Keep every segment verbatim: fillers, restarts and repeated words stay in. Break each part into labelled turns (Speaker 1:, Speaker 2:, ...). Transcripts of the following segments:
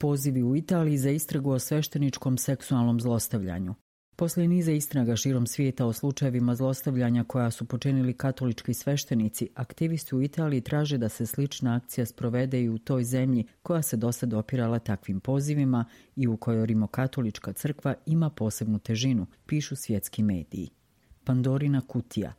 Speaker 1: Pozivi u Italiji za istragu o svešteničkom seksualnom zlostavljanju. Poslije niza istraga širom svijeta o slučajevima zlostavljanja koja su počinili katolički sveštenici, aktivisti u Italiji traže da se slična akcija sprovede i u toj zemlji koja se dosad opirala takvim pozivima i u kojoj rimokatolička crkva ima posebnu težinu, pišu svjetski mediji. Pandorina kutija.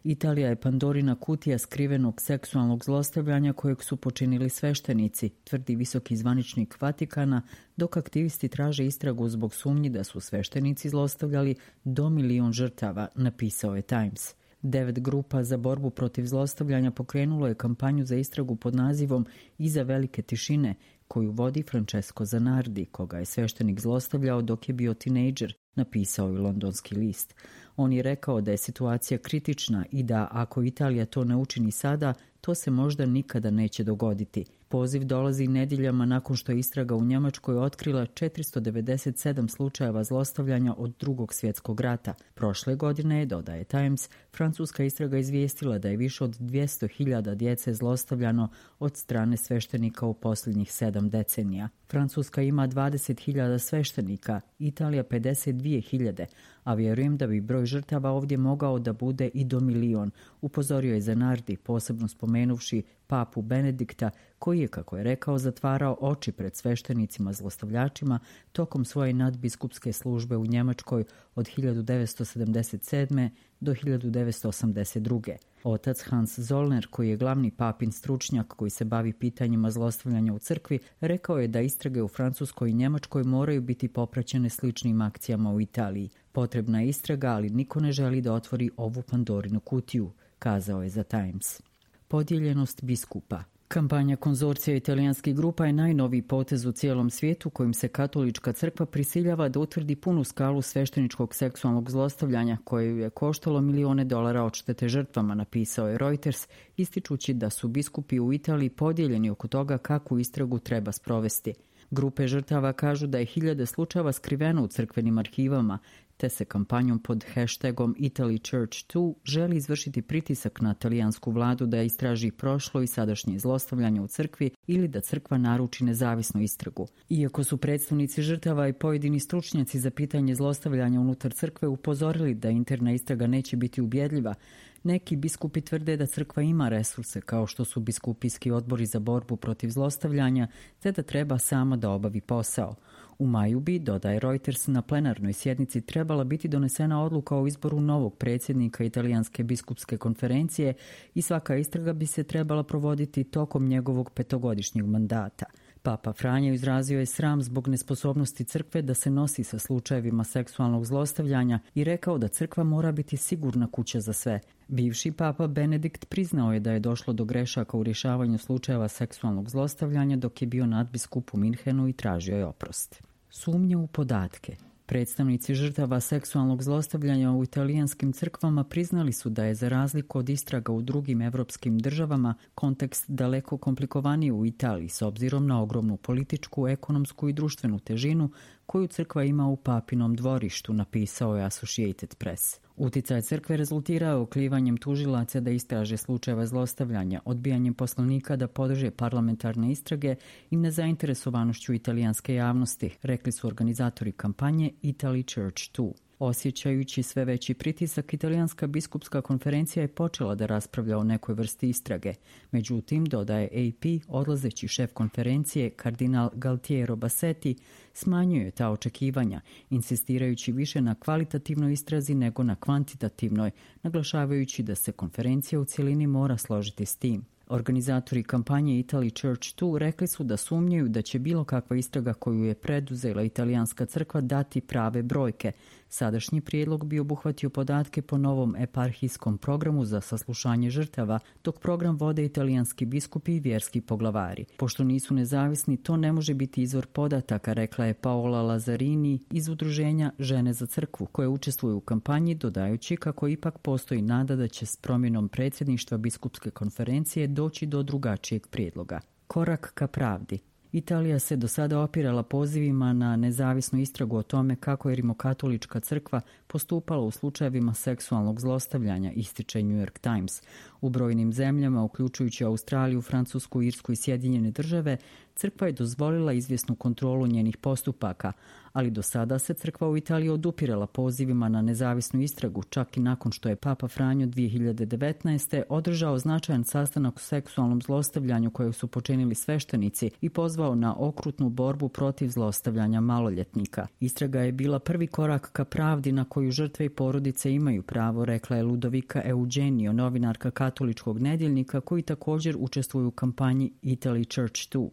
Speaker 1: Italija je Pandorina kutija skrivenog seksualnog zlostavljanja kojeg su počinili sveštenici, tvrdi visoki zvaničnik Vatikana, dok aktivisti traže istragu zbog sumnji da su sveštenici zlostavljali do milion žrtava, napisao je Times. Devet grupa za borbu protiv zlostavljanja pokrenulo je kampanju za istragu pod nazivom Iza velike tišine, koju vodi Francesco Zanardi, koga je sveštenik zlostavljao dok je bio tinejdžer, napisao je londonski list. On je rekao da je situacija kritična i da ako Italija to ne učini sada, to se možda nikada neće dogoditi. Poziv dolazi nedjeljama nakon što je istraga u Njemačkoj otkrila četiristo devedeset sedam slučajeva zlostavljanja od drugog svjetskog rata. Prošle godine je, dodaje Times, francuska istraga izvijestila da je više od dvjesto hiljada djece zlostavljano od strane sveštenika u posljednjih sedam decenija. Francuska ima dvadeset hiljada sveštenika, Italija pedeset dvije hiljade, a vjerujem da bi broj žrtava ovdje mogao da bude i do milion, upozorio je Zanardi, posebno spomenuvši papu Benedikta, koji je, kako je rekao, zatvarao oči pred sveštenicima zlostavljačima tokom svoje nadbiskupske službe u Njemačkoj od hiljadu devetsto sedamdeset sedme do hiljadu devetsto osamdeset druge. Otac Hans Zollner, koji je glavni papin stručnjak koji se bavi pitanjima zlostavljanja u crkvi, rekao je da istrage u Francuskoj i Njemačkoj moraju biti popraćene sličnim akcijama u Italiji. Potrebna je istraga, ali niko ne želi da otvori ovu Pandorinu kutiju, kazao je za Times. Podijeljenost biskupa. Kampanja konzorcija italijanskih grupa je najnoviji potez u cijelom svijetu kojim se katolička crkva prisiljava da utvrdi punu skalu svešteničkog seksualnog zlostavljanja koje je koštalo milione dolara odštete žrtvama, napisao je Reuters, ističući da su biskupi u Italiji podijeljeni oko toga kakvu istragu treba sprovesti. Grupe žrtava kažu da je hiljade slučajeva skriveno u crkvenim arhivama, te se kampanjom pod hashtagom Italy Church dva želi izvršiti pritisak na talijansku vladu da istraži prošlo i sadašnje zlostavljanje u crkvi ili da crkva naruči nezavisnu istragu. Iako su predstavnici žrtava i pojedini stručnjaci za pitanje zlostavljanja unutar crkve upozorili da interna istraga neće biti ubjedljiva, neki biskupi tvrde da crkva ima resurse kao što su biskupijski odbori za borbu protiv zlostavljanja, te da treba sama da obavi posao. U maju bi, dodaje Reuters, na plenarnoj sjednici trebala biti donesena odluka o izboru novog predsjednika Italijanske biskupske konferencije i svaka istraga bi se trebala provoditi tokom njegovog petogodišnjeg mandata. Papa Franjo izrazio je sram zbog nesposobnosti crkve da se nosi sa slučajevima seksualnog zlostavljanja i rekao da crkva mora biti sigurna kuća za sve. Bivši papa Benedikt priznao je da je došlo do grešaka u rješavanju slučajeva seksualnog zlostavljanja dok je bio nadbiskup u Minhenu i tražio je oprost. Sumnje u podatke. Predstavnici žrtava seksualnog zlostavljanja u italijanskim crkvama priznali su da je za razliku od istraga u drugim evropskim državama kontekst daleko komplikovaniji u Italiji s obzirom na ogromnu političku, ekonomsku i društvenu težinu koju crkva ima u papinom dvorištu, napisao je Associated Press. Uticaj crkve rezultirao oklivanjem tužilaca da istraže slučajeva zlostavljanja, odbijanjem poslanika da podrže parlamentarne istrage i nezainteresovanošću italijanske javnosti, rekli su organizatori kampanje Italy Church dva. Osjećajući sve veći pritisak, Italijanska biskupska konferencija je počela da raspravlja o nekoj vrsti istrage. Međutim, dodaje A P, odlazeći šef konferencije, kardinal Galtiero Bassetti, smanjuje ta očekivanja, insistirajući više na kvalitativnoj istrazi nego na kvantitativnoj, naglašavajući da se konferencija u cjelini mora složiti s tim. Organizatori kampanje Italy Church dva rekli su da sumnjaju da će bilo kakva istraga koju je preduzela italijanska crkva dati prave brojke. Sadašnji prijedlog bi obuhvatio podatke po novom eparhijskom programu za saslušanje žrtava, dok program vode italijanski biskupi i vjerski poglavari. Pošto nisu nezavisni, to ne može biti izvor podataka, rekla je Paola Lazzarini iz udruženja Žene za crkvu, koje učestvuju u kampanji, dodajući kako ipak postoji nada da će s promjenom predsjedništva biskupske konferencije doći do drugačijeg prijedloga. Korak ka pravdi. Italija se do sada opirala pozivima na nezavisnu istragu o tome kako je rimokatolička crkva postupala u slučajevima seksualnog zlostavljanja, ističe New York Times. U brojnim zemljama, uključujući Australiju, Francusku, Irsku i Sjedinjene države, crkva je dozvolila izvjesnu kontrolu njenih postupaka, ali do sada se crkva u Italiji odupirala pozivima na nezavisnu istragu, čak i nakon što je Papa Franjo dvije hiljade devetnaeste. održao značajan sastanak o seksualnom zlostavljanju kojeg su počinili sveštenici i pozvao na okrutnu borbu protiv zlostavljanja maloljetnika. Istraga je bila prvi korak ka pravdi na koju žrtve i porodice imaju pravo, rekla je Ludovika Eugenio, novinarka katoličkog nedjeljnika koji također učestvuju u kampanji Italy Church dva.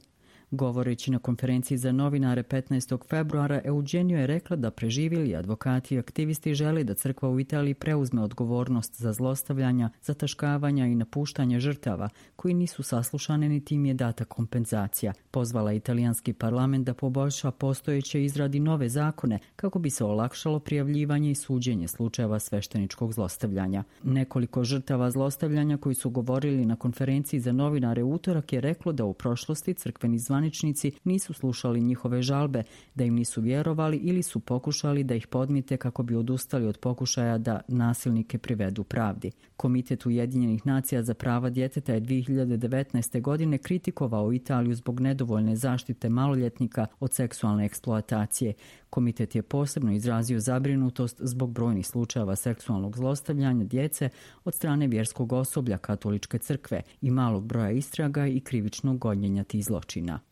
Speaker 1: Govoreći na konferenciji za novinare petnaestog februara, Eugenio je rekla da preživjeli advokati i aktivisti žele da crkva u Italiji preuzme odgovornost za zlostavljanja, zataškavanja i napuštanje žrtava koji nisu saslušane niti im je data kompenzacija. Pozvala italijanski parlament da poboljša postojeće i izradi nove zakone kako bi se olakšalo prijavljivanje i suđenje slučajeva svešteničkog zlostavljanja. Nekoliko žrtava zlostavljanja koji su govorili na konferenciji za novinare u utorak je reklo da u prošlosti crkveni zvaničnici nisu slušali njihove žalbe, da im nisu vjerovali ili su pokušali da ih podmite kako bi odustali od pokušaja da nasilnike privedu pravdi. Komitet Ujedinjenih nacija za prava djeteta je dvije hiljade devetnaeste. godine kritikovao Italiju zbog nedovoljne zaštite maloljetnika od seksualne eksploatacije. Komitet je posebno izrazio zabrinutost zbog brojnih slučajeva seksualnog zlostavljanja djece od strane vjerskog osoblja katoličke crkve i malog broja istraga i krivičnog gonjenja tih zločina.